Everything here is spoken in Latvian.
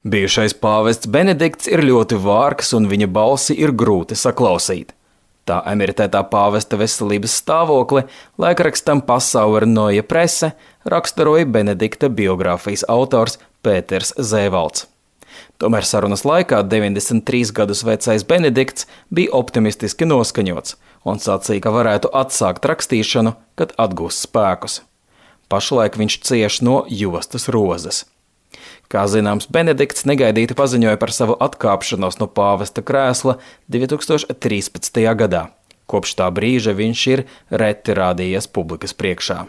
Bijušais pāvests Benedikts ir ļoti vārgs un viņa balsi ir grūti saklausīt. Tā emeritētā pāvesta veselības stāvokli laikrakstam Pasaules Neue Presse raksturoja Benedikta biogrāfijas autors Pēters Zēvalds. Tomēr sarunas laikā 93 gadus vecais Benedikts bija optimistiski noskaņots un sacīja, ka varētu atsākt rakstīšanu, kad atgūs spēkus. Pašlaik viņš cieš no jostas rozes. Kā zināms, Benedikts negaidīti paziņoja par savu atkāpšanos no pāvesta krēsla 2013. gadā. Kopš tā brīža viņš ir reti rādījies publikas priekšā.